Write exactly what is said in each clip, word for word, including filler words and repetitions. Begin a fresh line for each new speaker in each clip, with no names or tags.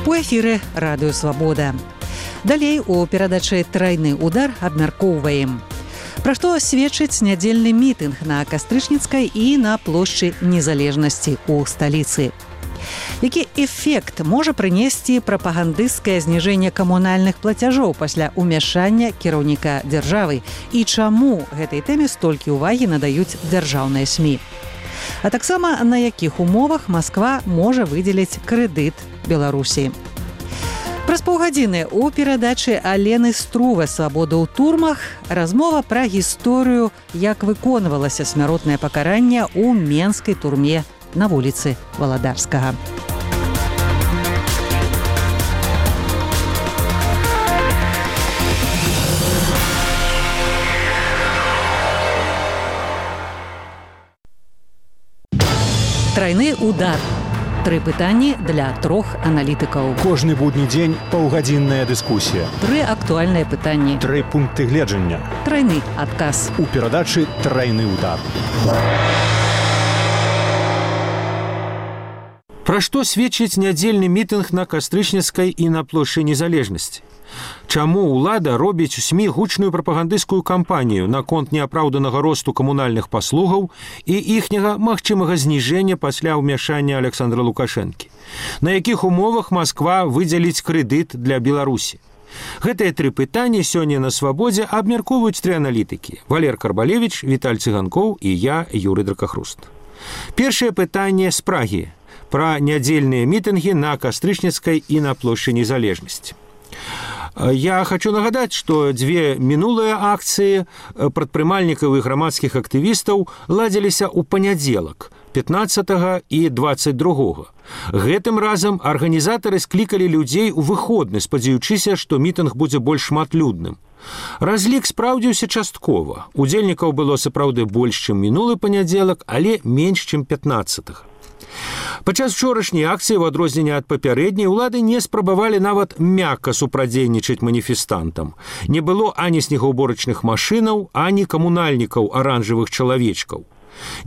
У эфіры радыё Свабода. Далей у перадачы «Трайны удар» абмяркоўваем. Пра што сведчыць нядзельны мітынг на Кастрычніцкай і на плошчы Незалежнасці ў сталіцы. Які эфект можа прынесці прапагандысцкае зніжэнне камунальных плацяжоў пасля ўмяшання кіраўніка дзяржавы і чаму гэтай тэме столькі ўвагі надаюць дзяржаўныя СМІ? А таксама на якіх умовах Масква можа выдзеліць крэдыт Беларусі. Праз паўгадзіны ў перадачы Алены Струве «Свабода ў турмах» размова пра гісторыю, як выконвалася смяротнае пакаранне ў менскай турме на вуліцы Валадарскага. Трайны удар. Тры пытанні для трох аналітыкаў.
Кожны будні дзень паўгадзінная дыскусія.
Тры актуальныя пытанні.
Тры пункты гледжання.
Трайны адказ.
У перадачы «Трайны удар».
Пра што сведчыць нядзельны мітынг на Кастрычніцкай і на плошчы Незалежнасці? Чаму ўлада робіць у СМІ гучную прапагандысцкую кампанію наконт неапраўданага росту камунальных паслугаў і іхняга магчымага зніжэння пасля ўмяшання Александра Лукашэнкі? На якіх умовах Масква выдзеліць крэдыт для Беларусі? Гэтыя тры пытанні сёння на Свабодзе абмяркоўваюць тры аналітыкі: Валер Карбалевіч, Віталь Цыганкоў і я, Юрый Дракахруст. Першае пытанне з Прагі пра нядзельныя мітынгі на Кастрычніцкай і на плошчы Незалежнасці. Я хочу нагадаць, што дзве мінулыя акцыі прадпрымальнікаў і грамадскіх актывістаў ладзіліся ў панядзелак, пятнаццатага і дваццаць другога. Гэтым разам арганізатары склікалі людзей у выходны, спадзяючыся, што мітынг будзе больш шматлюдным. Разлік спраўдзіўся часткова. Удзельнікаў было сапраўды больш, чым мінулы панядзелак, але менш, чым пятнаццатага. Падчас учорашняй акцыі, ў адрозненне ад папярэдняй, улады не спрабавалі нават мякка супрадзейнічаць маніфестантам. Не было ані снегаўборачных машынаў, ані камунальнікаў аранжавых чалавечкаў.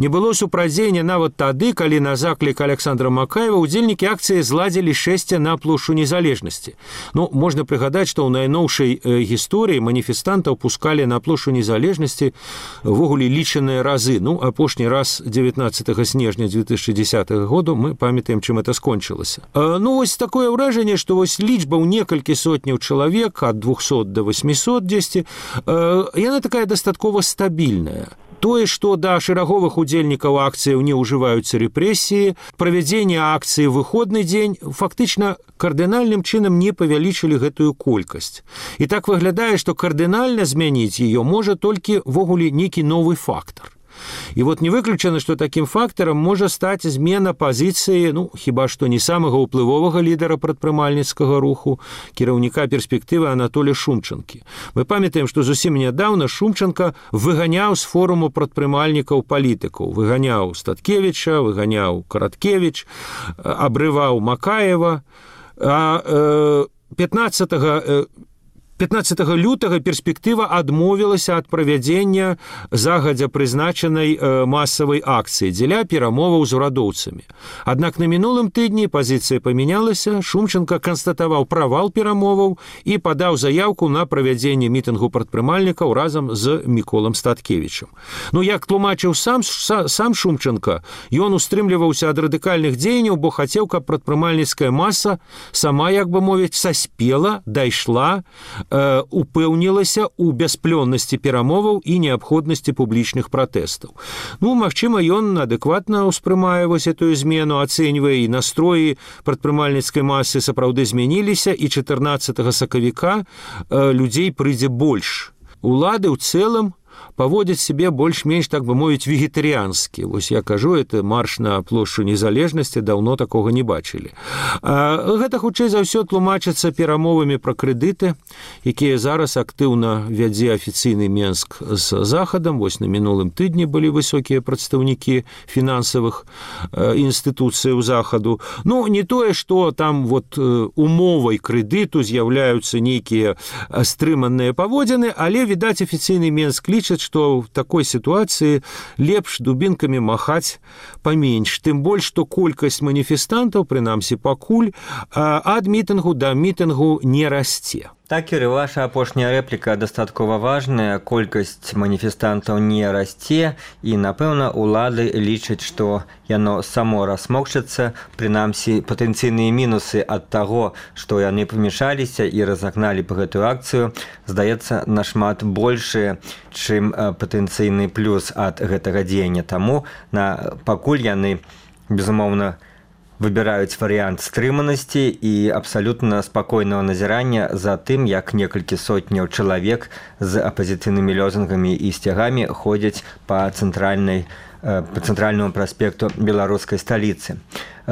Не было супрадзеяння нават тады, калі на заклік Александра Макаева удзельнікі акцыі зладзілі шэсце на плошчу Незалежнасці. Ну, можна прыгадаць, што ў найноўшай э, гісторыі маніфестантаў пускалі на плошчу Незалежнасці ввогуле лічаныя разы. Ну, апошні раз дзевятнаццатага снежня дзве тысячы дзесятага году мы памятаем, чым это скончылася. Э, ну, вось такое ўражанне, што вось лічба ў некалькі сотняў чалавек, ад двухсот да восьмісот дзесьці, э, яна такая дастаткова стабільная. Тое, што да шэраговых удзельнікаў акцыяў не ўжываюцца рэпрэсіі, правядзенне акцыі ў выходны дзень фактычна кардынальным чынам не павялічылі гэтую колькасць. І так выглядае, што кардынальна змяніць яе можа толькі ввогуле нейкі новы фактар. І вот не выключана, што такім фактарам можа стаць змена пазіцыі, ну, хіба што не самага ўплывовага лідара прадпрымальніцкага руху, кіраўніка перспектывы Анатолія Шумчанкі. Мы памятаем, што зусім нядаўна Шумчанка выганяў з форуму прадпрымальнікаў палітыкаў. Выганяў Статкевіча, выганяў Караткевіч, абрываў Макаева. А пятнаццатага лютага перспектыва адмовілася ад правядзення загадзя прызначанай э, масавай акцыі дзеля перамоваў з урадоўцамі. Аднак на мінулым тыдні пазіцыя памянялася, Шумчанка канстатаваў правал перамоваў і падаў заяўку на правядзенне мітынгу прадпрымальнікаў разам з Міколам Статкевічам. Ну, як тлумачыў сам, сам Шумчанка, ён устрымліваўся ад радыкальных дзеянняў, бо хацеў, каб прадпрымальніцкая маса сама, як бы мовіць, саспела, дайшла, упэўнілася ў бясплённасці перамоваў і неабходнасці публічных пратэстаў. Ну, магчыма, ён адэкватна ўспрымае вось этую змену, ацэньвае, і настроі прадпрымальніцкай масы сапраўды змяніліся, і чатырнаццатага сакавіка людзей прыйдзе больш. Улады ў цэлым паводзяць сябе больш-менш, так бы мовіць, вегетарыянскі. Вось я кажу, это марш на плошчу Незалежнасці, даўно такога не бачылі. А гэта хутчэй за ўсё тлумачыцца перамовамі пра крэдыты, якія зараз актыўна вядзе афіцыйны Менск з Захадам. Вось на мінулым тыдні былі высокія прадстаўнікі фінансавых інстытуцыяў Захаду. Ну, не тое, што там вот умовай крэдыту з'яўляюцца нейкія стрыманыя паводзіны, але, відаць, афіцыйны Менск лічыць, лічаць, што в такой сітуацыі лепш дубінкамі махаць паменш. Тым больш, што колькасць маніфестантаў, прынамсі пакуль, ад мітынгу да мітынгу не расце.
Так, Юрий, ваша апошняя рэпліка дастаткова важная. Колькасць маніфестантаў не расце, і, напэўна, улады лічаць, што яно само расмокчацца, прынамсі патэнцыйныя мінусы ад таго, што яны памешаліся і разагналі па гэтую акцыю, здаецца, нашмат большыя, чым патэнцыйны плюс ад гэтага дзеяння. Таму на пакуль яны, безумоўна, выбіраюць варыянт стрыманасці і абсалютна спакойнага назірання за тым, як некалькі сотняў чалавек з апазіцыйнымі лозунгамі і сцягамі ходзяць па цэнтральнай по цэнтральнаму праспекту беларускай сталіцы.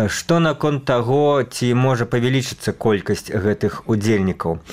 Што наконт таго, ці можа павялічыцца колькасць гэтых удзельнікаў?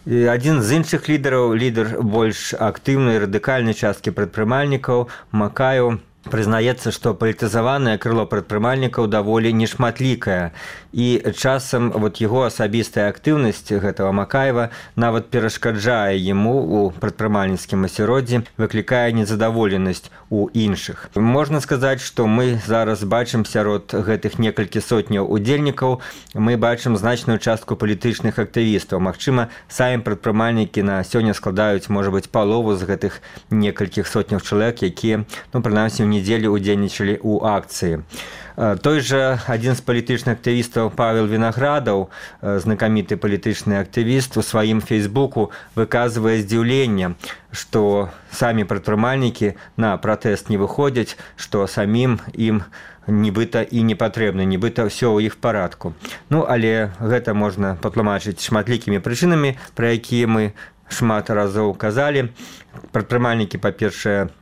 Адзін з іншых лідараў, лідар больш актыўнай радыкальнай часткі прадпрымальнікаў, Макаеў, прызнаецца, што палітызаванае крыло прадпрымальнікаў даволі нешматлікае, і часам вот яго асабістая актыўнасць гэтага Макаева нават перашкаджае яму у прадпрымальніцкім асяроддзі, выклікае незадаволенасць у іншых. Можна сказаць, што мы зараз бачым сярод гэтых некалькі сотняў удзельнікаў, мы бачым значную частку палітычных актывістаў. Магчыма, самі прадпрымальнікі на сёння складаюць, можа быць, палову з гэтых некалькіх сотняў чалавек, якія, ну, прынамсі, ў недзелю удзельнічалі ў акцыі. Той жа адзін з палітычных актывістаў Павел Вінаградаў, знакаміты палітычны актывіст, у сваім фейсбуку выказвае здзіўленне, што самі прадпрымальнікі на пратэст не выходзяць, што самім ім нібыта і не патрэбна, нібыта ўсё ў іх парадку. Ну, але гэта можна патлумачыць шматлікімі прычынамі, пра якія мы шмат разоў казалі. Прадпрымальнікі, па-першае,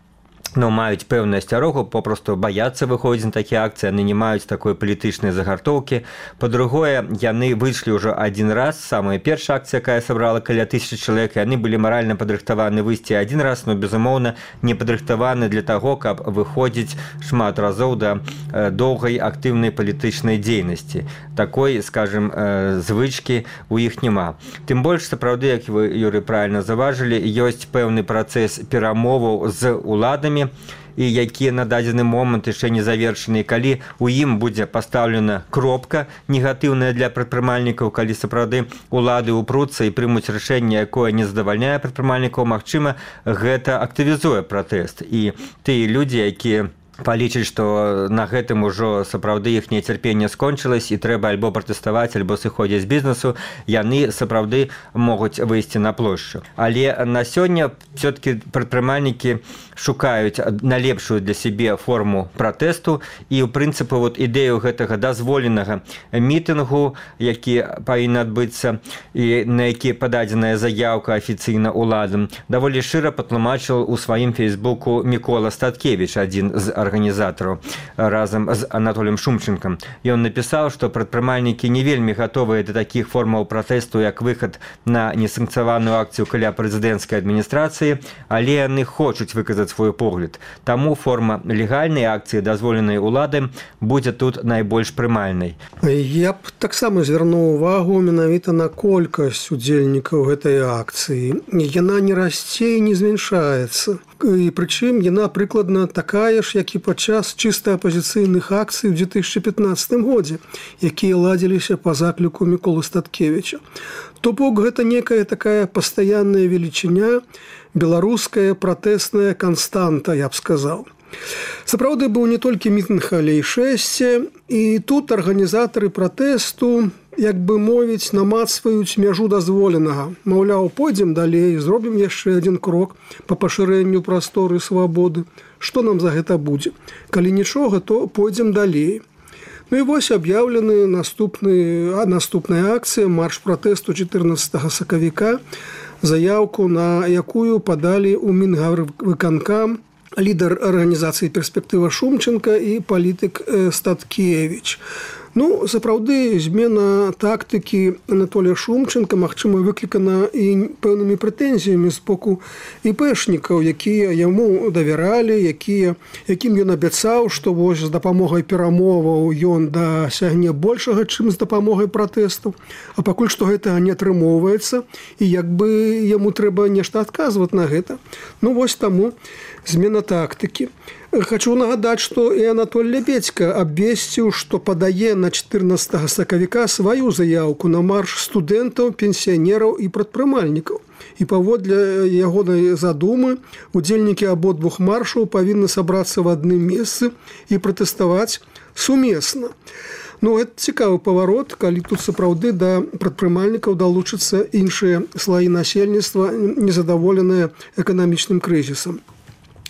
ну, маюць пэўную асцярогу, попросту баяцца выходзіць на такія акцыі, яны не маюць такой палітычнай загартоўкі. Па-другое, яны выйшлі ўжо адзін раз, самая першая акцыя, якая сабрала каля тысячы чалавек, яны былі маральна падрыхтаваны выйсці адзін раз, но, безумоўна, не падрыхтаваны для таго, каб выходзіць шмат разоў да доўгай актыўнай палітычнай дзейнасці. Такой, скажем, звычкі у іх няма. Тым больш, сапраўды, як вы, Юрый, правильна заважылі, ёсць пэўны працэс перамоваў з уладамі, і якія на дадзены момант яшчэ не завершаны, калі у ім будзе пастаўлена кропка негатыўная для прадпрымальнікаў, калі сапраўды улады упруцца і прымуць рашэнне, якое не задавальняе прадпрымальнікаў, магчыма, гэта актывізуе пратэст. І тыя людзі, якія палічыць, што на гэтым ужо сапраўды іх нецярпенне скончылась і трэба альбо пратэставаць, альбо сыходзіць з бізнесу, яны сапраўды могуць выйсці на плошчу. Але на сёння все-таки прадпрымальнікі шукаюць найлепшую для сябе форму пратэсту, і ў прынцыпе вот ідэю гэтага дазволенага мітынгу, які павінен адбыцца і на які пададзеная заяўка афіцыйна уладам, даволі шыра патлумачыў у сваім фейсбуку Мікола Статкевіч, адзін з арганізатараў, разам з Анатоліем Шумченкам. Ён напісаў, што прадпрымальнікі не вельмі гатовыя да такіх формаў пратэсту, як выхад на несанкцыяваную акцыю каля прэзідэнцкай адміністрацыі, але яны хочуць выказаць свой погляд. Таму форма легальнай акцыі, дазволенай уладам, будзе тут найбольш прымальнай.
Я б таксама звярнуў увагу менавіта на колькасць удзельнікаў гэтай акцыі. Яна не расце і не змяншаецца. І прычым яна прыкладна такая ж, як і падчас чыста апазіцыйных акцый у две тысячи пятнадцатым годзе, якія ладзіліся па закліку Міколы Статкевіча. То бок гэта некая такая пастаянная велічыня, беларуская пратэсная канстанта, я б сказаў. Сапраўды быў не толькі мітынг, але і шэсце, і тут арганізатары пратэсту, як бы мовіць, намацваюць мяжу дазволенага. Маўляў, пойдзем далей, зробім яшчэ адзін крок па пашырэнню прасторы свабоды. Што нам за гэта будзе? Калі нічога, то пойдзем далей. Ну і вось аб'яўлены наступны, наступная акцыя, марш пратэсту чатырнаццатага сакавіка, заяўку, на якую падалі ў Мінгарвыканкам лідар арганізацыі «Перспектыва» Шумченка і палітык Статкевіч. Ну, сапраўды, змена тактыкі Анатолія Шумченка, магчыма, выклікана і пэўнымі прэтэнзіямі з боку іпэшнікаў, якія яму давяралі, якія, якім ён абяцаў, што вось з дапамогай перамоваў ён дасягне большага, чым з дапамогай пратэстаў. А пакуль што гэтага не атрымоўваецца, і як бы яму трэба нешта адказваць на гэта. Ну, вось таму змена тактыкі. Хочу нагадаць, што і Анатоль Лябедзька абвесціў, што падае на чатырнаццатага сакавіка сваю заяўку на марш студэнтаў, пенсіянераў і прадпрымальнікаў. І паводле ягонай задумы удзельнікі абодвух маршаў павінны сабрацца в адным месцы і пратэставаць сумесна. Ну, гэта цікавы паварот, калі тут сапраўды да прадпрымальнікаў далучацца іншыя слаі насельніцтва, незадаволеныя эканамічным крызісам.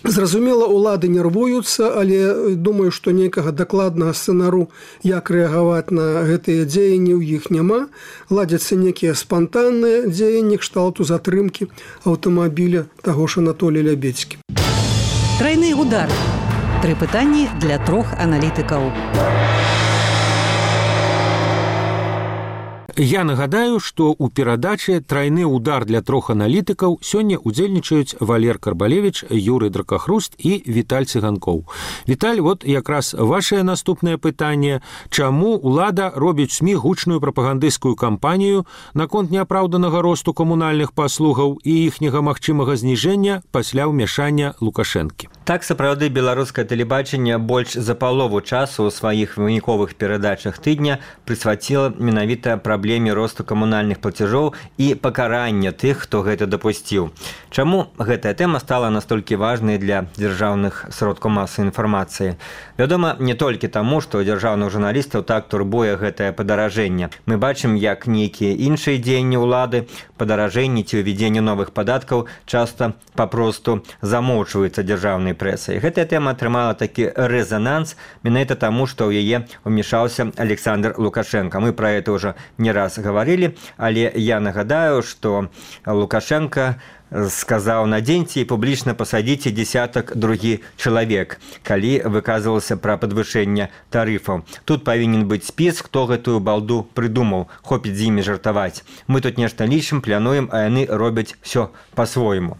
Зразумела, улады нервуюцца, але думаю, што нейкага дакладнага сцэнару, як рэагаваць на гэтыя дзеянні, ў іх няма. Ладзяцца некія спантанныя дзеянні кшталту затрымкі аўтамабіля таго ж Анатолія Лябедзькі.
Трайны удар. Тры пытанні для трох аналітыкаў.
Я нагадаю, што ў перадаче «Трайны удар для трох аналітыкаў» сёння удзельнічаюць Валер Карбалевіч, Юрый Дракахруст і Віталь Цыганкоў. Віталь, вот якраз вашае наступнае пытанне. Чаму ўлада робіць СМІ гучную прапагандысцкую кампанію наконт неапраўданага росту камунальных паслугаў і іхняга магчымага зніжэння пасля ўмяшання Лукашэнкі?
Так, сапраўды, беларускае тэлебачанне больш за палову часу ў сваіх выніковых перадачах тыдня прысвяціла менавіта праблеме росту камунальных плацяжоў і пакарання тых, хто гэта дапусціў. Чаму гэтая тэма стала настолькі важнай для дзяржаўных сродкаў масавай інфармацыі? Вядома, не толькі таму, што дзяржаўных журналістаў так турбуе гэтае падаражэнне. Мы бачым, як нейкія іншыя дзеянні ўлады, падаражэнні ці ўвядзенне новых падаткаў часта папросту замоўчваюцца дзяржаўнай прэсай. Гэтая тэма атрымала такі рэзананс менавіта таму, што ў яе ўмешаўся Александр Лукашенко. Мы пра гэта ўжо не раз гаварылі, але я нагадаю, што Лукашенко сказаў: надзеньце і публічна пасадзіце дзесятак другі чалавек, калі выказвалася пра падвышэнне тарыфаў. Тут павінен быць спіс, хто гэтую балду прыдумаў, хопіць з імі жартаваць. Мы тут нешта лічым, плануем, а яны робяць все па-свойму.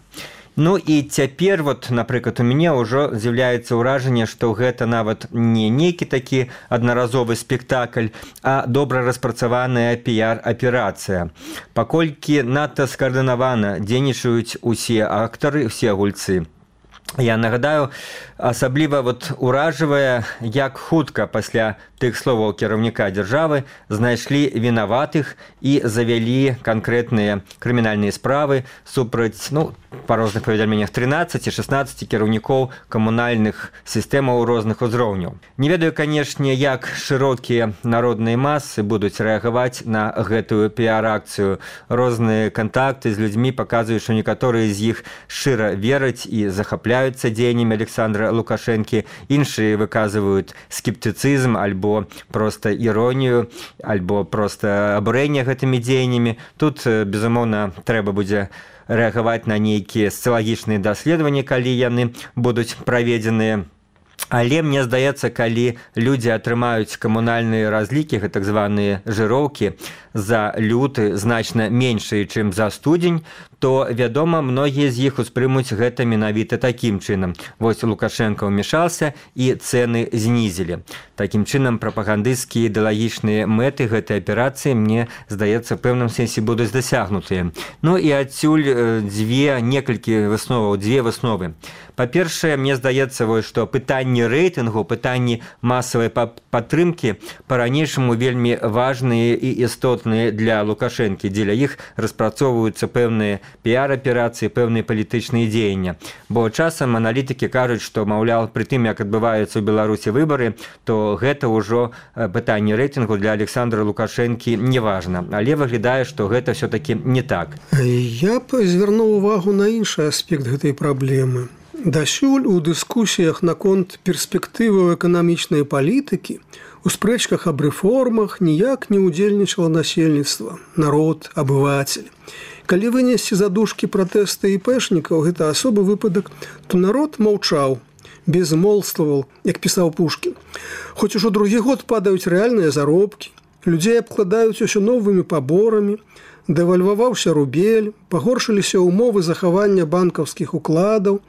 Ну і цяпер, вот, напрыклад, у мяне ўжо з'яўляецца ўражанне, што гэта нават не нейкі такі аднаразовы спектакль, а добра распрацаваная піяр-аперацыя. Паколькі надта скаардынавана дзейнічаюць усе актары, усе гульцы. Я нагадаю, асабліва вот уражвае, як хутка пасля тых словаў кіраўніка дзяржавы знайшлі вінаватых і завялі канкрэтныя крымінальныя справы супраць, ну, па розных паведамленнях трынаццаці шэснаццаці кіраўнікоў камунальных сістэмаў розных узроўняў. Не ведаю, канешне, як шырокія народныя масы будуць рэагаваць на гэтую піар-акцыю. Розныя кантакты з людзьмі паказваюць, што некаторыя з іх шчыра вераць і захапляюцца дзеяннямі Александра Лукашэнкі, іншыя выказваюць скептыцызм альбо проста іронію, альбо проста абурэнне гэтымі дзеяннямі. Тут, безумоўна, трэба будзе рэагаваць на нейкія сацыялагічныя даследаванні, калі яны будуць праведзеныя. Але мне здаецца, калі людзі атрымаюць камунальныя разлікі, так званыя жыроўкі, за люты значна меншыя, чым за студзень, то, вядома, многія з іх успрымуць гэта менавіта такім чынам. Вось Лукашенко ўмешаўся і цэны знізілі. Такім чынам, прапагандысцкія ідэалагічныя мэты гэтай аперацыі, мне здаецца, в пэўным сэнсе будуць дасягнутыя. Ну і адсюль дзве, некалькі высноваў, дзве высновы. Па-першае, мне здаецца, што пытанні рэйтынгу, пытанні масавай падтрымкі па-ранейшаму вельмі важныя і істотныя для Лукашэнкі. Дзеля іх распрацоўваюцца пэўныя піар-аперацыі, пэўныя палітычныя дзеяння. Бо часам аналітыкі кажуць, што, маўляў, пры тым, як адбываюцца ў Беларусі выбары, то гэта ўжо пытанне рэйтынгу для Александра Лукашэнкі не важна. Але выглядае, што гэта все-таки не так.
Я б звярнуў увагу на іншы аспект гэтай праблемы. Дасюль у дыскусіях наконт перспектываў эканамічнай палітыкі, у спрэчках аб рэформах ніяк не ўдзельнічала насельніцтва, народ, абывацель. Калі вынесці задушкі пратэста іпэшнікаў, гэта асобы выпадак, то народ маўчаў. безмолвствовал, як пісаў Пушкін. Хоць ужо другі год падаюць рэальныя заробкі, людзей абкладаюць усё новымі паборамі, дэвальваваўся рубель, пагоршыліся ўмовы захавання банкаўскіх укладаў,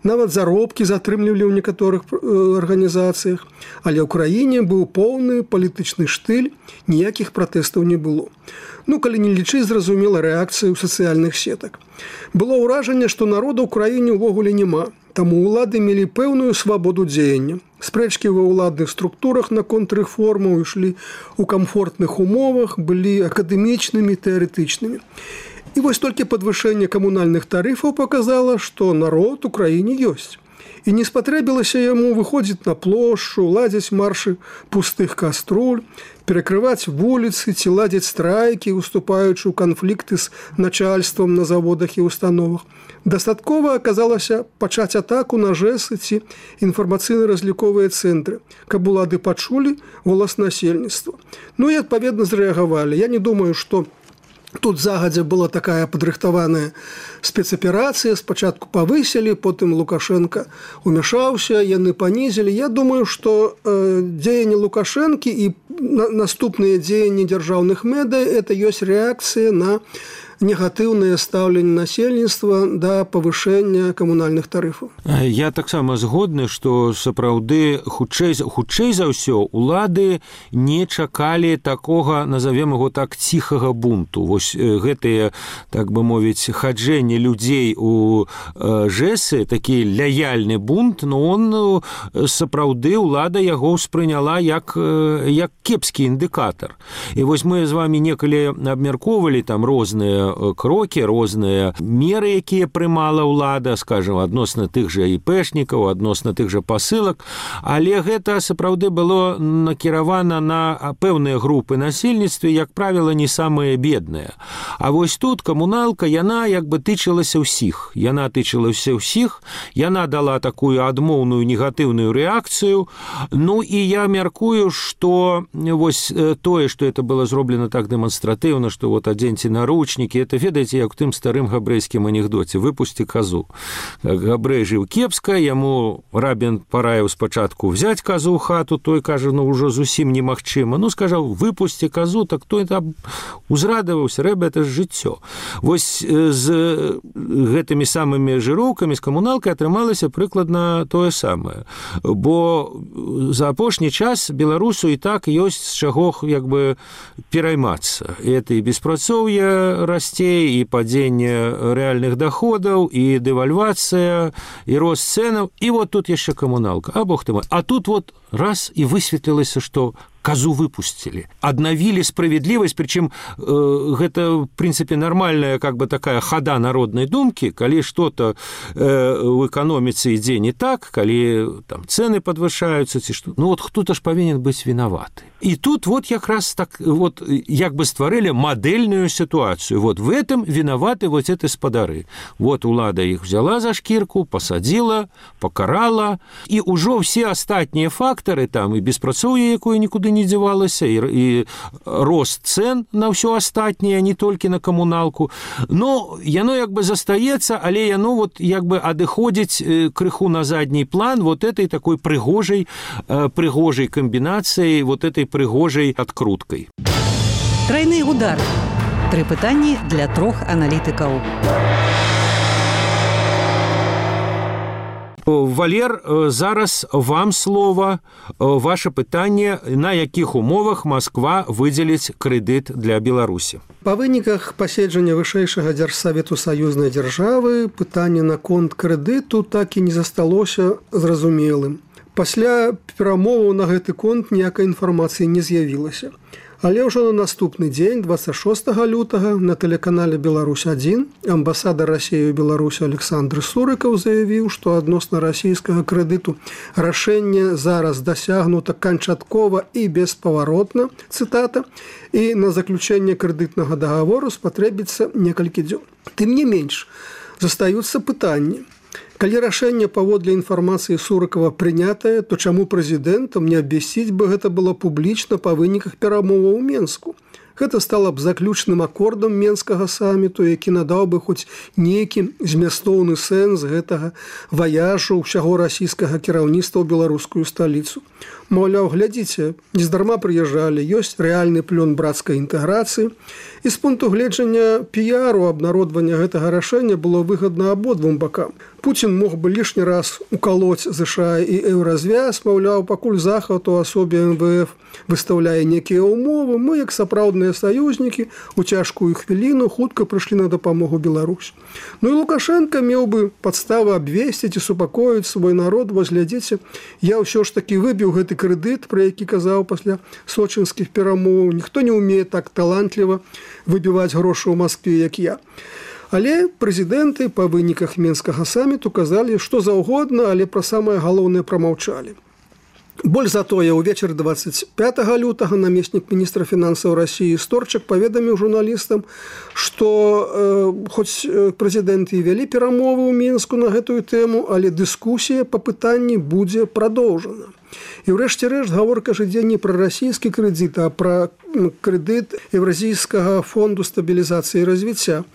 нават заробкі затрымлівалі ў некаторых арганізацыях, але ў краіне быў поўны палітычны штыль, ніякіх пратэстаў не было. Ну, калі не лічыць, зразумела, рэакцыю сацыяльных сетак. Было ўражанне, што народа ў краіне ўвогуле няма, таму ўлады мелі пэўную свабоду дзеяння. Спрэчкі ва ўладных структурах наконт рэформаў ішлі ў камфортных умовах, былі акадэмічнымі, тэарэтычнымі. І вось толькі падвышэнне камунальных тарыфаў паказала, што народ у краіне ёсць. І не спатрэбілася яму выходзіць на плошчу, ладзіць маршы пустых каструль, перакрываць вуліцы ці ладзіць страйкі, уступаючы ў канфлікты з начальствам на заводах і установах. Дастаткова аказалася пачаць атаку на ЖЭСы ці інфармацыйна-разліковыя цэнтры, каб улады пачулі голас насельніцтва. Ну і адпаведна зрэагавалі. Я не думаю, што тут загадзя была такая падрыхтаваная спецаперацыя, спачатку павысілі, потым Лукашенко умяшаўся, яны панізілі. Я думаю, што э, дзеянні Лукашэнкі і на, наступныя дзеянні дзяржаўных медыя – это ёсць рэакцыя на негатыўнае стаўленне насельніцтва да павышэння камунальных тарыфаў.
Я таксама згодны, што сапраўды хутчэй, хутчэй за ўсё улады не чакалі такога, назовем яго так, ціхага бунту. Вось гэтыя, так бы мовіць, хаджэнне людзей у ЖЭСы, такі лаяльны бунт, но он сапраўды улада яго ўспрыняла як, як кепскі індыкатар. І вось мы з вамі некалі абмяркоўвалі там розныя крокі, розныя меры, якія прымала ўлада, скажем, адносна тых жа іпэшнікаў, адносна тых жа пасылак, але гэта сапраўды было накіравана на пэўныя групы насельніцтва, як правіла, не самыя бедныя. А вось тут камуналка, яна як бы тычылася ўсіх. Яна тычылася ўсіх, яна дала такую адмоўную негатыўную рэакцыю. Ну і я мяркую, што вось тое, што это было зроблена так дэманстратыўна, што вот адзеньце наручнікі, это, ведаеце, як у тым старым габрэйскім анекдоце: выпусці казу. Габрэй жыў кепска, яму рабін параіў спачатку взяць казу ў хату, той кажа, ну ўжо зусім немагчыма. Ну, скажаў, выпусці казу, так той там узрадаваўся, рэба, это ж жыццё. Вось з гэтымі самымі жыроўкамі, з камуналкай атрымалася прыкладна тое самае. Бо за апошні час беларусу і так ёсць з чаго як бы пераймацца. Это і беспрацоўе расце, і падзенне рэальных даходаў, і дэвальвацыя, і рост цэнаў, і вот тут яшчэ камуналка. А бог ты мой. А тут вот раз і высветлілася, што казу выпусцілі. Аднавілі справедлівасць, прычым э, гэта, в прынцыпе, нармальная как бы такая хада народнай думкі, калі што-то э, ў эканоміцы ідзе не так, калі там цэны падвышаюцца, ці што. Ну вот хто-то ж павінен быць вінаваты. І тут вот якраз так вот як бы стварылі мадэльную сітуацыю. Вот в этом вінаваты вот эти спадары. Вот улада іх взяла за шкірку, пасадзіла, пакарала, і ўжо ўсе астатнія фактары, там і беспрацоўе, якое нікуды не дзявалася, і, і рост цэн на ўсё астатняе, не толькі на камуналку. Но яно як бы застаецца, але яно вот як бы адыходзіць крыху на задні план вот этой такой прыгожай, прыгожай камбінацыяй, вот этой прыгожай адкруткай.
Тройны удар. Тры пытанні для трох аналітыкаў.
Валер, зараз вам слово. Ваше пытанне, на якіх умовах Москва выдзеліць крэдыт для Беларусі?
Па выніках паседжання вышэйшага дзяржсавету саюзнай дзяржавы пытанне наконт крэдыту так і не засталося зразумелым. Пасля перамоваў на гэты конт ніякай інфармацыі не з'явілася. Але ўжо на наступны дзень, двадцать шостага лютага, на тэлеканале «Беларусь адзін» амбасадар Расіі ў Беларусі Александр Сурыкаў заявіў, што адносна расійскага крэдыту рашэнне зараз дасягнута канчаткова і беспаваротна, цытата, і на заключэнне крэдытнага дагавору спатрэбіцца некалькі дзён. Тым не менш, застаюцца пытанні. Калі рашэнне паводле інфармацыі Сурыкава прынятае, то чаму прэзідэнтам не абвясціць бы гэта было публічна па выніках перамоваў у Менску? Гэта стала б заключным акордам Менскага саміту, які надаў бы хоць нейкі змястоўны сэнс гэтага ваяжу ўсяго расійскага кіраўніцтва ў беларускую сталіцу. Маўляў, глядзіце, нездарма прыязджалі, ёсць рэальны плён брацкай інтэграцыі. І з пункту гледжання піяру абнародвання гэтага рашэння было выгадна абодвум бакам. Пуцін мог бы лішні раз укалоць ЗША і еўразвяз, маўляў, пакуль Захад у асобе эм вэ эф выстаўляе некія ўмовы, мы, як сапраўдныя саюзнікі, у цяжкую хвіліну хутка прыйшлі на дапамогу Беларусь. Ну і Лукашенко меў бы падставы абвесціць і супакоіць свой народ, вось глядзіце, я ўсё ж такі выбіў гэты крэдыт, пра які казаў пасля сочынскіх перамоў. Ніхто не ўмее так талантліва выбіваць грошы ў Маскве, як я. Але прэзідэнты па выніках Менскага саміту казалі, што заўгодна, але пра самае галоўнае прамаўчалі. Больш за тое, увечар дваццаць пятага лютага намеснік міністра фінансаў Расіі Сторчак паведаміў журналістам, што э, хоць прэзідэнты і вялі перамовы ў Мінску на гэтую тэму, але дыскусія па пытанні будзе прадоўжана. І ўрэшце рэшт гаворка ж ідзе не пра расійскі крэдыт, а пра крэдыт Еўразійскага фонду стабілізацыі і развіцця.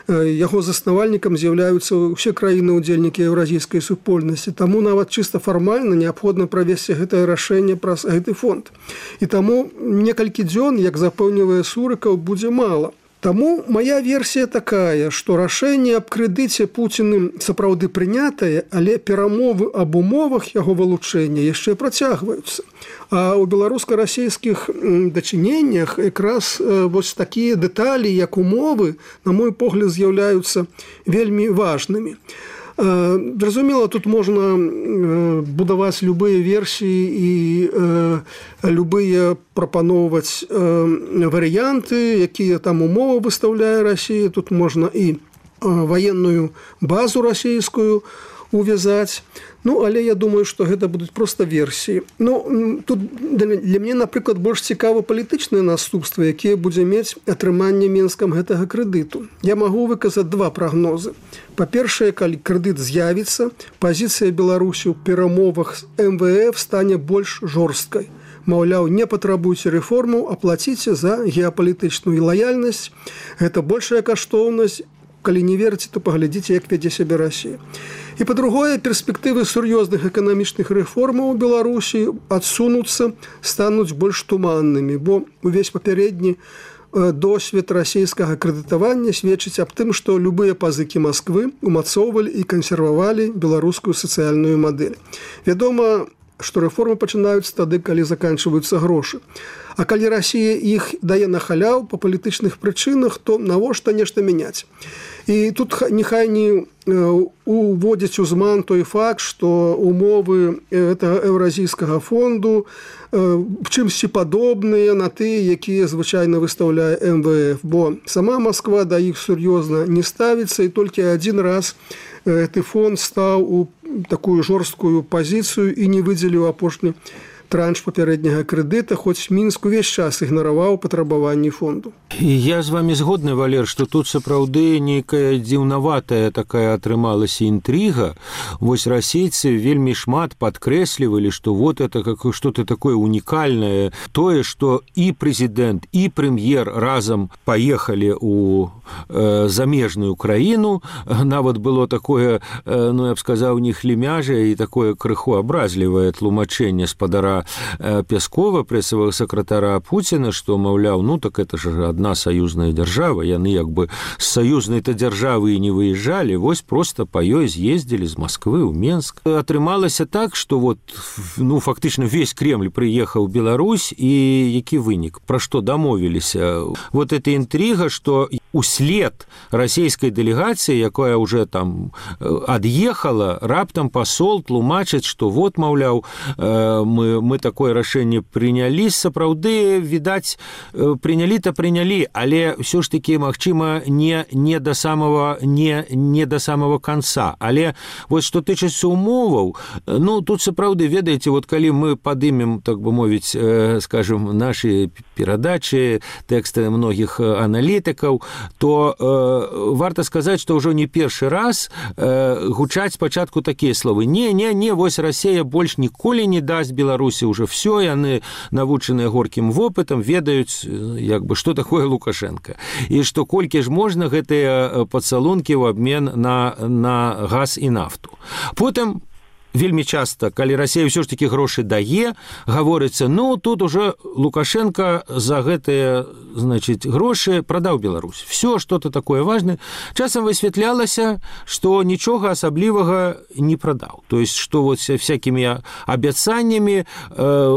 Яго заснавальнікам з'яўляюцца ўсе краіны-удзельнікі еўразійскай супольнасці. Таму нават чыста фармальна неабходна правесці гэтае рашэнне праз гэты фонд. І таму некалькі дзён, як запэўнівае Сурыкаў, будзе мала. Таму мая версія такая, што рашэнне аб крэдыце Пуціным сапраўды прынятае, але перамовы аб умовах яго вылучэння яшчэ працягваюцца. А ў беларуска-расійскіх дачыненнях якраз вось такія дэталі, як умовы, на мой погляд, з'яўляюцца вельмі важнымі. Зразумела, тут можна будаваць любыя версіі і любыя прапаноўваць варыянты, якія там умовы выстаўляе Расія. Тут можна і ваенную базу расійскую увязаць. Ну, але я думаю, што гэта будуць проста версіі. Ну, тут для мяне, напрыклад, больш цікава палітычныя наступствы, якія будзе мець атрыманне Менскам гэтага крэдыту. Я магу выказаць два прагнозы. Па-першае, калі крэдыт з'явіцца, пазіцыя Беларусі ў перамовах з эм вэ эф стане больш жорсткай. Маўляў, не патрабуйце рэформу, а плаціце за геапалітычную лаяльнасць. Гэта большая каштоўнасць. Калі не верыце, то паглядзіце, як вядзе сябе Расія. І па-другое, перспектывы сур'ёзных эканамічных рэформаў у Беларусі адсунуцца, стануць больш туманнымі, бо увесь папярэдні досвед расійскага крэдытавання сведчыць аб тым, што любыя пазыкі Масквы умацоўвалі і кансервавалі беларускую сацыяльную мадэль. Вядома, што рэформы пачынаюцца тады, калі заканчваюцца грошы. А калі Расія іх дае на халяў па палітычных прычынах, то навошта нешта мяняць. І тут нехай не уводзіць у зман той факт, што умовы гэтага еўразійскага фонду чымсьці падобныя на тыя, якія звычайна выстаўляе эм вэ эф, бо сама Масква да іх сур'ёзна не ставіцца, і толькі адзін раз гэты фонд стаў у такую жорсткую пазіцыю і не выдзеліў апошні транш папярэдняга крэдыта, хоць Мінск увесь час ігнараваў патрабаванні фонду.
Я з вами згодны, Валер, што тут сапраўды нейкая дзіўнаватая такая атрымалася інтрыга. Вось расейцы вельмі шмат падкрэслівалі, што вот это как что-то такое унікальнае. Тое, што і прэзідэнт, і прэм'ер разам паехалі ў э, замежную краіну. Нават было такое, э, ну, я б сказаў, нехлімяжае і такое крыху абразлівае тлумачэнне спадара Пяскова, прэсавага сакратара Пуціна, што, маўляў, ну так это ж адна саюзная дзяржава, яны як бы з саюзнай-то дзяржавы і не выязджалі, вось проста па ёй з'ездзілі з Масквы ў Менск. Атрымалася так, што вот, ну, фактычна весь Кремль прыехаў у Беларусь, і які вынік, пра што дамовіліся. Вот эта інтрыга, што услед расійскай дэлегацыі, якая уже там ад'ехала, раптам пасол тлумачыць, што вот, маўляў, мы мы такое рашэнне прынялі, сапраўды, відаць, прынялі-то прынялі, але ўсё ж такі, магчыма, не, не, да самого, не, не да самого канца. Але вось што тычыцца умоваў, ну, тут сапраўды, ведаеце, вот калі мы падымем, так бы мовіць, скажем, нашы перадачы, тэксты многіх аналітыкаў, то э, варта сказаць, што ўжо не першы раз э, гучаць спачатку такія словы: не, не, не, вось Расія больш ніколі не дасць Беларусі ўжо все, яны навучаныя горкім вопытам, ведаюць, як бы, што такое Лукашенко. І што колькі ж можна гэтыя пацалункі ў абмен на, на газ і нафту. Потым вельмі часта, калі Расія ўсё ж такі грошы дае, гаворыцца: ну, тут уже Лукашенко за гэтыя, значыць, грошы прадаў Беларусь. Всё што-то такое важнае. Часам высвятлялася, што нічога асаблівага не прадаў. То есть, што вот всякімі абяцаннямі э,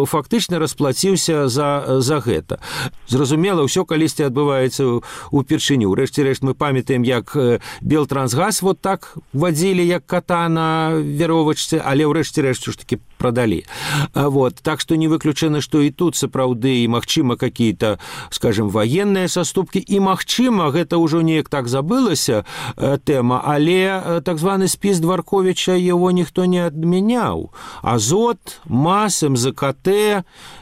фактычна расплаціўся за, за гэта. Зразумела, ўсё калісьці адбываецца упершыню. Рэшце-рэшт мы памятаем, як Белтрансгаз вот так вадзілі, як кота на веровачцы, але ўрэшце рэшт ж таки прадалі. Вот. Так што не выключана, што і тут сапраўды і магчыма какие-то, скажем, военныя саступкі, і магчыма, гэта ўжо неяк так забылася э, тэма, але э, так званы спіс Дворковича его ніхто не адмяняў. Азот, МАЗ, МЗКТ,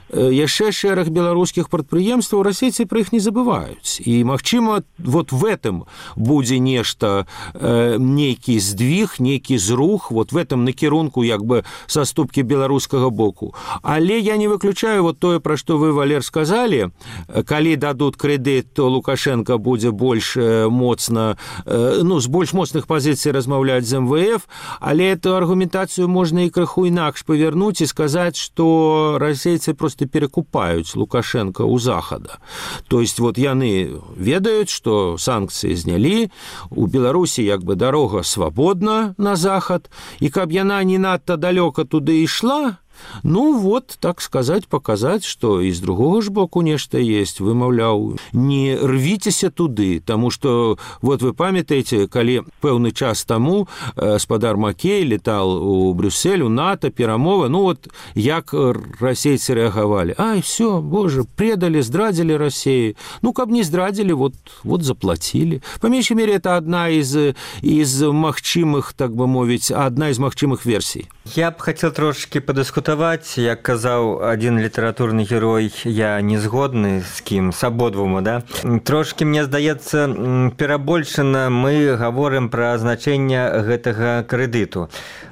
яшчэ шэраг беларускіх прадпрыемстваў, расейцы пра іх не забываюць. І, магчыма, вот в этом будзе нешта, э, нейкі здвиг, нейкі зрух, вот в этом накірунку, як бы, саступкі беларускага боку. Але я не выключаю вот тое, пра што вы, Валер, сказалі. Калі дадуць крэдыт, то Лукашенко будзе больш моцна, э, ну, з больш моцных пазіцый размаўляць з эм вэ эф, але эту аргументацыю можна і крыху інакш павярнуць і сказаць, што расейцы просто перекупаюць Лукашенко у Захада. То есть вот яны ведаюць, што санкцыі знялі, у Беларусі як бы дарога свабодна на Захад, і каб яна не надта далёка туды ішла, ну вот, так сказать, показать, что и с другого ж боку нешта есть. Вы, маўляў, не рвіцеся туды, тому что, вот вы памятаеце, калі пэўны час таму спадар Макей летал у Брюссель, у НАТО, перамова, ну вот, як расейцы рэагавалі. Ай, все, боже, предали, здрадзілі России. Ну, каб не здрадзілі, вот, вот заплатили. По меньшей мере, это одна из, из магчымых, так бы мовіць, одна из магчымых версий.
Я б хотел трошки подыскутаваць. Як казаў один літаратурны герой, я не згодны з кім, з абодвума, да? Трошки, мне здаецца, перабольшана мы гаворым пра значэнне гэтага крэдыту.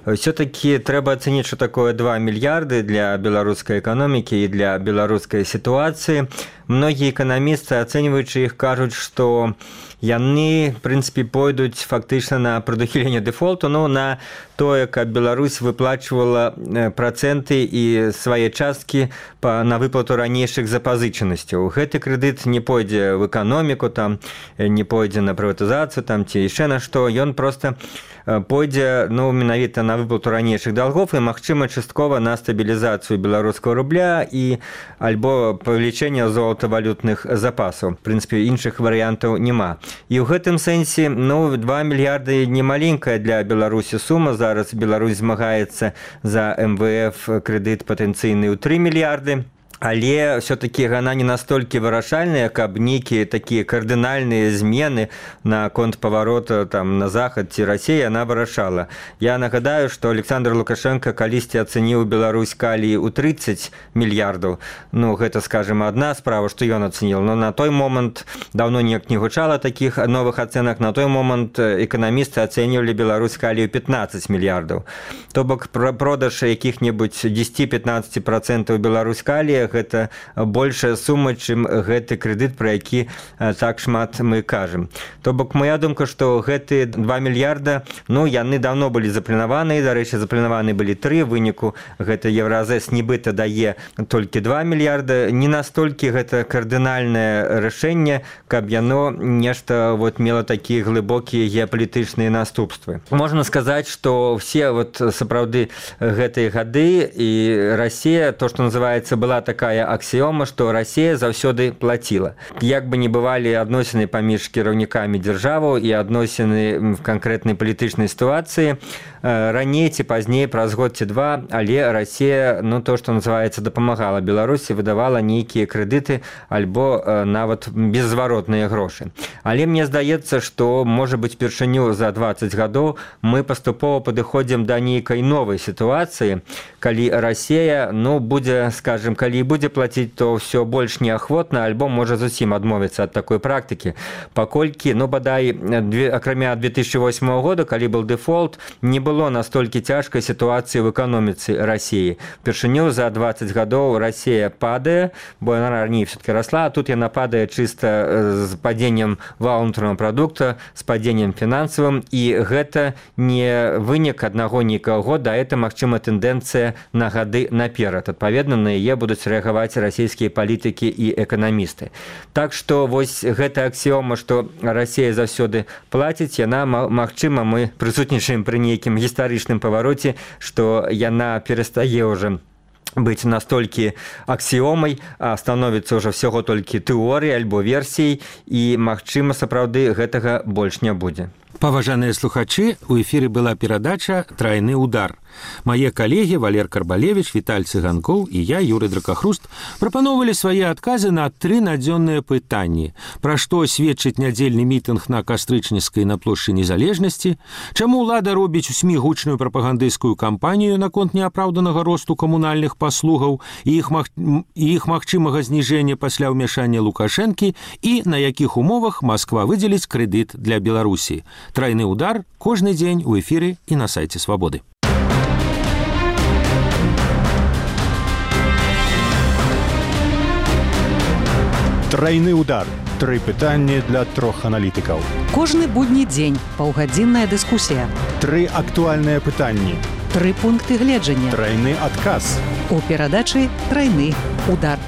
Все-таки трэба ацаніць, што такое два мільярды для беларускай эканомікі і для беларускай сітуацыі. Многія эканамісты, ацэньваючы іх, кажуць, што яны, в прынцыпе, пойдуць фактычна на прадухіленне дэфолту, ну, на тое, каб Беларусь выплачвала працэнты і свае часткі на выплату ранейшых запазычанасцяў. Гэты крэдыт не пойдзе в эканоміку, там, не пойдзе на прыватызацыю, там, ці яшчэ на што, ён проста пойдзе, ну, менавіта на выплату ранейшых долгов і, магчыма, часткова на стабілізацыю беларускага рубля і альбо павелічэнне золатавалютных запасаў. В прынцыпе, іншых варыянтаў няма. І ў гэтым сэнсе, ну, два мільярды не маленькая для Беларусі сума. Зараз Беларусь змагаецца за эм вэ эф крэдыт патэнцыйны ў тры мільярды. Але все-таки яна не настолькі вырашальная, каб нейкія такія кардынальныя змены на конт паварота там на захад ці Расія яна вырашала. Я нагадаю, што Александр Лукашенко калісьці ацэніў Беларусь калій у тридцать мільярдаў. Ну, гэта, скажем, адна справа, што ён ацэніў. Но на той момант даўно неяк не гучала такіх новых ацэнак. На той момант эканамісты ацэньвалі Беларусь калій у пятнадцать мільярдаў. То бок продаж якіх-небудзь десять-пятнадцать процентов Беларусь калія гэта большая сума, чым гэты крэдыт, пра які так шмат мы кажам. То бок, моя думка, што гэты два мільярда, ну, яны даўно былі запланаваны, дарэчы, запланаваны былі тры, выніку гэта Евразэс нібыта дае толькі два мільярда. Не настолькі гэта кардынальнае рашэнне, каб яно нешта вот мела такія глыбокія геапалітычныя наступствы. Можна сказаць, што все вот сапраўды гэтыя гады і Расія, то, што называецца, была такая аксіёма, што Расія заўсёды плаціла. Як бы не бывалі адносіны паміж кіраўнікамі дзяржаваў і адносіны в канкрэтнай палітычнай сітуацыі, раней ці пазней, праз год ці два, але Расія, ну, то, што называецца, дапамагала Беларусі, выдавала нейкія крэдыты альбо нават беззваротныя грошы. Але мне здаецца, што, можа быць, першыню за двадцать гадоў мы паступова падыходзім да нейкай новай сітуацыі, калі Расія, ну, будзе, скажем, калі не будзе плаціць, то ўсё больш неахвотна, альбо можа зусім адмовіцца ад такой практыкі. Паколькі, ну, бадай, акрамя две тысячи восьмого года, калі был дэфолт, не было настолькі цяжкай сітуацыі ў эканоміцы Расіі. Упершыню за двадцать гадоў Расія падае, бо яна раней все-таки расла, а тут яна падае чыста з падзеннем валовага ўнутранага прадукта, з падзеннем фінансавым, і гэта не вынік аднаго нейкага года, а это, магчыма, тэндэнцыя на гады наперад. Адпаведна, на яе будуць рэагаваць расійскія палітыкі і эканамісты. Так што вось гэта аксіома, што Расія заўсёды плаціць, яна, магчыма, мы прысутнічаем пры нейкім гістарычным павароце, што яна перастае ўжо быць настолькі аксіомай, а становіцца ўжо всяго толькі тэорыяй альбо версіяй, і, магчыма, сапраўды гэтага больш не будзе.
Паважаныя слухачы, у эфіры была перадача «Трайны удар». Мае калегі Валер Карбалевич, Віталь Цыганкоў і я, Юрый Дракахруст, прапановалі свае адказы на тры надзённыя пытанні. Пра што сведчыць нядзельны мітынг на Кастрычніцкай на плошчы Незалежнасці, чаму ўлада робіць у СМІ гучную прапагандысцкую кампанію наконт неапраўданага росту камунальных паслугаў і іх, маг... і іх магчымага зніжэння пасля ўмяшання Лукашэнкі і на якіх умовах Масква выдзеліць крэдыт для Беларусі. «Трайны удар» кожны дзень у эфіры і на сайце Свабоды.
Трайны удар. Тры пытанні для трох аналітыкаў.
Кожны будні дзень паўгадзінная дыскусія.
Тры актуальныя пытанні.
Тры пункты гледжання.
Трайны адказ.
У перадачы «Трайны удар».